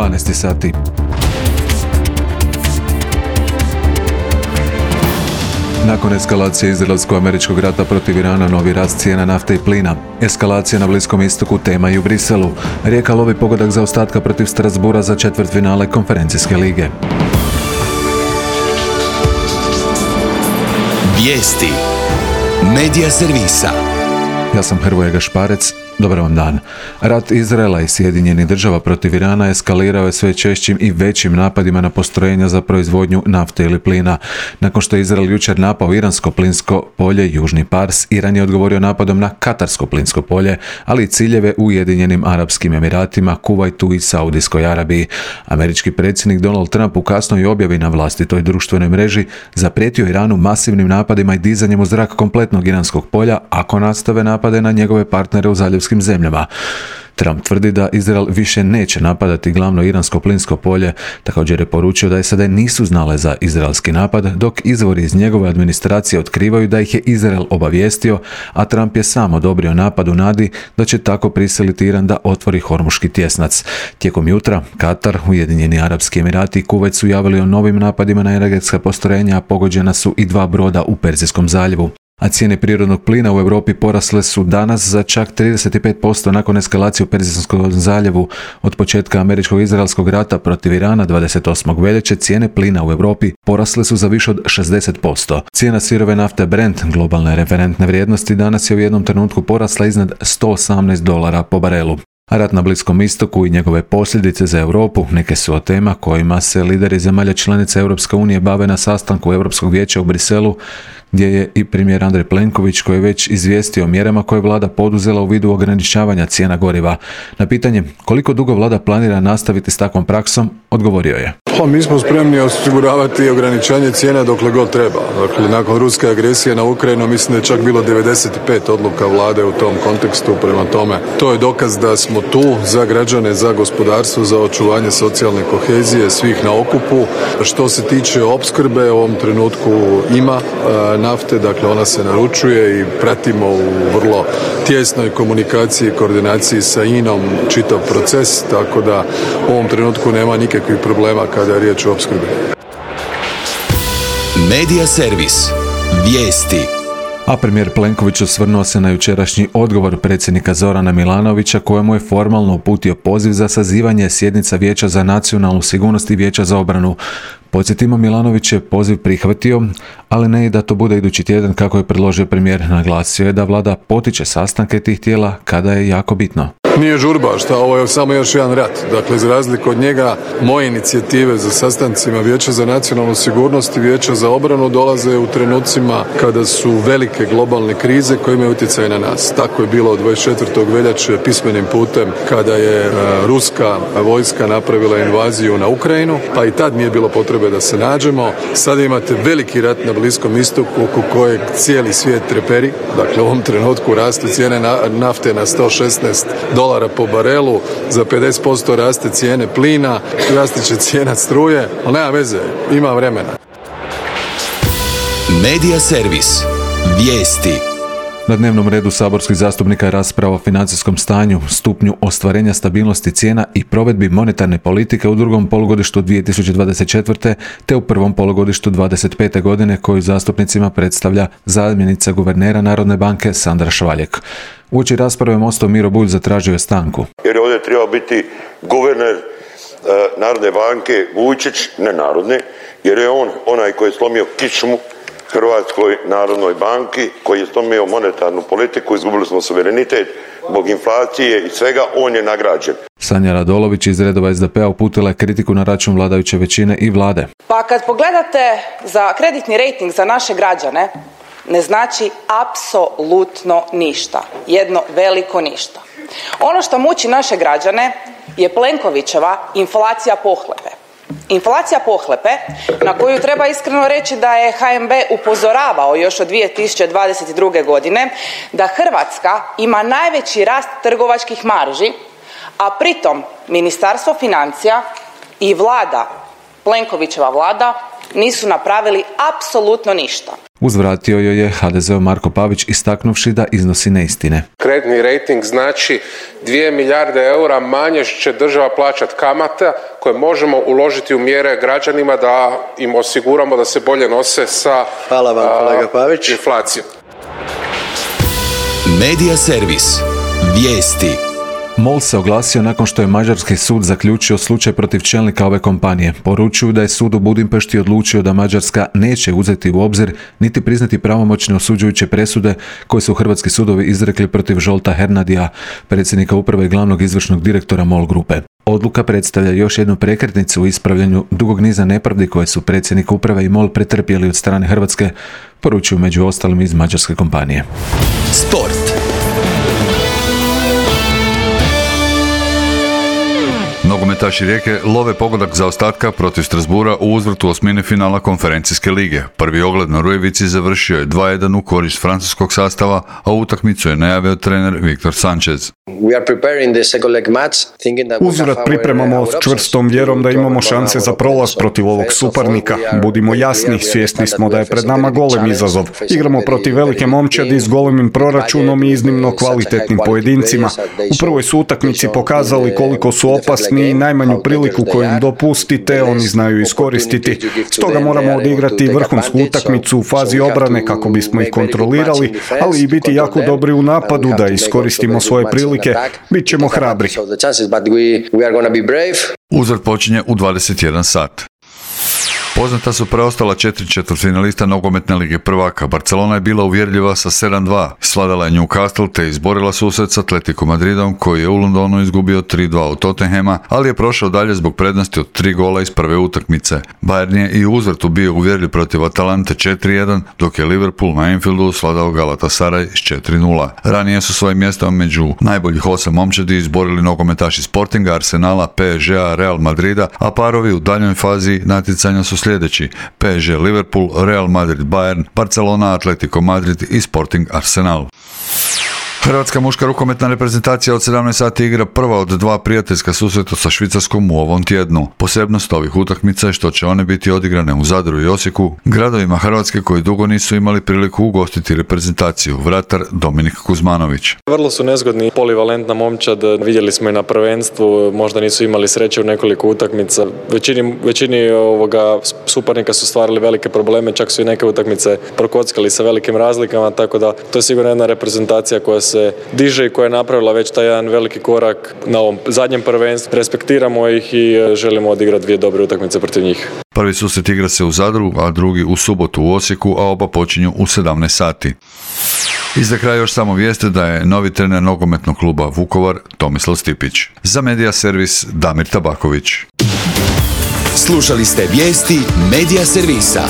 12 sati. Nakon eskalacije izraelsko-američkog rata protiv Irana, novi rast cijena nafte i plina. Eskalacija na Bliskom istoku tema i u Briselu. Rijeka lovi pogodak zaostatka protiv Strasbura za četvrtfinale konferencijske lige. Vijesti Medija servisa. Ja sam Hrvoje Gašparec. Dobar vam dan. Rat Izraela i Sjedinjenih Država protiv Irana eskalirao je sve češćim i većim napadima na postrojenja za proizvodnju nafte ili plina. Nakon što je Izrael jučer napao iransko plinsko polje Južni Pars, Iran je odgovorio napadom na katarsko plinsko polje, ali i ciljeve u Ujedinjenim Arapskim Emiratima, Kuvajtu i Saudijskoj Arabiji. Američki predsjednik Donald Trump u kasnoj objavi na vlastitoj društvenoj mreži zaprijetio Iranu masivnim napadima i dizanjem u zrak kompletnog iranskog polja ako nastave napade na njegove partnere u zaljevskim zemljama. Trump tvrdi da Izrael više neće napadati glavno iransko plinsko polje. Također je poručio da SAD nisu znale za izraelski napad, dok izvori iz njegove administracije otkrivaju da ih je Izrael obavijestio, a Trump je sam odobrio napad u nadi da će tako prisiliti Iran da otvori Hormuški tjesnac. Tijekom jutra Katar, Ujedinjeni Arapski Emirati i Kuvajt su javili o novim napadima na energetska postrojenja, a pogođena su i 2 broda u Perzijskom zaljevu. A cijene prirodnog plina u Europi porasle su danas za čak 35% nakon eskalacije u Perzijskom zaljevu. Od početka američko-izraelskog rata protiv Irana 28. veljače cijene plina u Europi porasle su za više od 60%. Cijena sirove nafte Brent, globalne referentne vrijednosti, danas je u jednom trenutku porasla iznad $118 po barelu. A rat na Bliskom istoku i njegove posljedice za Europu neke su od tema kojima se lideri zemalja članica Europske unije bave na sastanku Europskog vijeća u Briselu, gdje je i premijer Andrej Plenković, koji je već izvijestio o mjerama koje vlada poduzela u vidu ograničavanja cijena goriva. Na pitanje koliko dugo vlada planira nastaviti s takvom praksom, odgovorio je: Mi smo spremni osiguravati ograničanje cijena dokle god treba. Dakle, nakon ruske agresije na Ukrajinu mislim da je čak bilo 95 odluka vlade u tom kontekstu. Prema tome, to je dokaz da smo tu za građane, za gospodarstvo, za očuvanje socijalne kohezije, svih na okupu. Što se tiče opskrbe, u ovom trenutku ima nafte, dakle ona se naručuje i pratimo u vrlo tijesnoj komunikaciji i koordinaciji sa INA-om čitav proces, tako da u ovom trenutku nema nikakvih problema kada je riječ o opskrbi. Medija servis. Vijesti. A premijer Plenković osvrnuo se na jučerašnji odgovor predsjednika Zorana Milanovića, kojemu je formalno uputio poziv za sazivanje sjednica Vijeća za nacionalnu sigurnost i Vijeća za obranu. Podsjetimo, Milanović je poziv prihvatio, ali ne i da to bude idući tjedan kako je predložio premijer. Naglasio je da vlada potiče sastanke tih tijela kada je jako bitno. Nije žurba, ovo je samo još jedan rat. Dakle, za razliku od njega, moje inicijative za sastancima Vijeća za nacionalnu sigurnost i Vijeća za obranu dolaze u trenucima kada su velike globalne krize koje imaju utjecaj na nas. Tako je bilo od 24. veljače pismenim putem kada je ruska vojska napravila invaziju na Ukrajinu, pa i tad nije bilo potrebe da se nađemo. Sada imate veliki rat na Bliskom istoku oko kojeg cijeli svijet treperi. Dakle, u ovom trenutku raste cijene nafte na $116 po barelu, za 50% raste cijene plina, raste će cijena struje, ali nema veze, ima vremena. Medija servis. Vijesti. Na dnevnom redu saborskih zastupnika je rasprava o financijskom stanju, stupnju ostvarenja stabilnosti cijena i provedbi monetarne politike u drugom polugodištu 2024. te u prvom polugodištu 2025. godine, koju zastupnicima predstavlja zamjenica guvernera Narodne banke Sandra Švaljek. Uoči rasprave MOST-ov Miro Bulj zatražio je stanku. Jer ovdje treba biti guverner Narodne banke Vujčić, ne Narodne, jer je on onaj koji je slomio kičmu Hrvatskoj Narodnoj banki, koji je slomio monetarnu politiku, izgubili smo suverenitet zbog inflacije i svega, on je nagrađen. Sanja Radolović iz redova SDP-a uputila je kritiku na račun vladajuće većine i vlade. Pa kad pogledate za kreditni rejting za naše građane, ne znači apsolutno ništa. Jedno veliko ništa. Ono što muči naše građane je Plenkovićeva inflacija pohlepe. Inflacija pohlepe na koju treba iskreno reći da je HNB upozoravao još od 2022. godine da Hrvatska ima najveći rast trgovačkih marži, a pritom Ministarstvo financija i vlada, Plenkovićeva vlada, nisu napravili apsolutno ništa. Uzvratio joj je HDZ-ov Marko Pavić istaknuvši da iznosi neistine. Kreditni rejting znači 2 milijarde eura manje će država plaćati kamata koje možemo uložiti u mjere građanima da im osiguramo da se bolje nose sa Hvala vam, kolega Pavić. Inflacijom. Medija servis. Vijesti. MOL se oglasio nakon što je mađarski sud zaključio slučaj protiv čelnika ove kompanije. Poručuju da je sud u Budimpešti odlučio da Mađarska neće uzeti u obzir niti priznati pravomoćne osuđujuće presude koje su hrvatski sudovi izrekli protiv Žolta Hernadija, predsjednika uprave i glavnog izvršnog direktora MOL grupe. Odluka predstavlja još jednu prekretnicu u ispravljanju dugog niza nepravdi koje su predsjednik uprave i MOL pretrpjeli od strane Hrvatske, poručuju među ostalim iz mađarske kompanije. Sport. Nogometaši Rijeke love pogodak zaostatka protiv Strasbourga u uzvrtu osmine finala konferencijske lige. Prvi ogled na Rujevici završio je 2:1 u korist francuskog sastava, a utakmicu je najavio trener Viktor Sanchez. Uzvrat pripremamo s čvrstom vjerom da imamo šanse za prolaz protiv ovog suparnika. Budimo jasni, svjesni smo da je pred nama golem izazov. Igramo protiv velike momčadi s golemim proračunom i iznimno kvalitetnim pojedincima. U prvoj su utakmici pokazali koliko su opasni i najmanju priliku koju im dopustite, oni znaju iskoristiti. Stoga moramo odigrati vrhunsku utakmicu u fazi obrane kako bismo ih kontrolirali, ali i biti jako dobri u napadu da iskoristimo svoje prilike. Bit ćemo hrabri. Uzvrat počinje u 21 sat. Poznata su preostala 4 četvrtfinalista nogometne lige prvaka. Barcelona je bila uvjerljiva sa 7:2. Svladala je Newcastle te izborila susret s Atletico Madridom koji je u Londonu izgubio 3:2 od Tottenhama, ali je prošao dalje zbog prednosti od 3 gola iz prve utakmice. Bayern je i u uzvratu bio uvjerljiv protiv Atalante 4:1, dok je Liverpool na Anfieldu svladao Galatasaray s 4:0. Ranije su svoje mjesto među najboljih 8 momčadi izborili nogometaši Sportinga, Arsenala, PSG-a, Real Madrida, a parovi u daljnjoj fazi natjecanja su sljedeći: PSG Liverpool, Real Madrid Bayern, Barcelona Atletico Madrid i Sporting Arsenal. Hrvatska muška rukometna reprezentacija od 17 sati igra prva od 2 prijateljska susreta sa Švicarskom u ovom tjednu. Posebnost ovih utakmica je što će one biti odigrane u Zadru i Osijeku, gradovima Hrvatske koji dugo nisu imali priliku ugostiti reprezentaciju. Vratar Dominik Kuzmanović. Vrlo su nezgodni, polivalentna momčad, vidjeli smo i na prvenstvu, možda nisu imali sreće u nekoliko utakmica. Većini suparnika su stvarali velike probleme, čak su i neke utakmice prokockali sa velikim razlikama, tako da to je sigurno jedna reprezentacija koja se diže i koja je napravila već taj jedan veliki korak na ovom zadnjem prvenstvu. Respektiramo ih i želimo odigrati 2 dobre utakmice protiv njih. Prvi susret igra se u Zadru, a drugi u subotu u Osijeku, a oba počinju u 17 sati. I za kraj još samo vijeste da je novi trener nogometnog kluba Vukovar Tomislav Stipić. Za Medija servis Damir Tabaković. Slušali ste vijesti Medija servisa.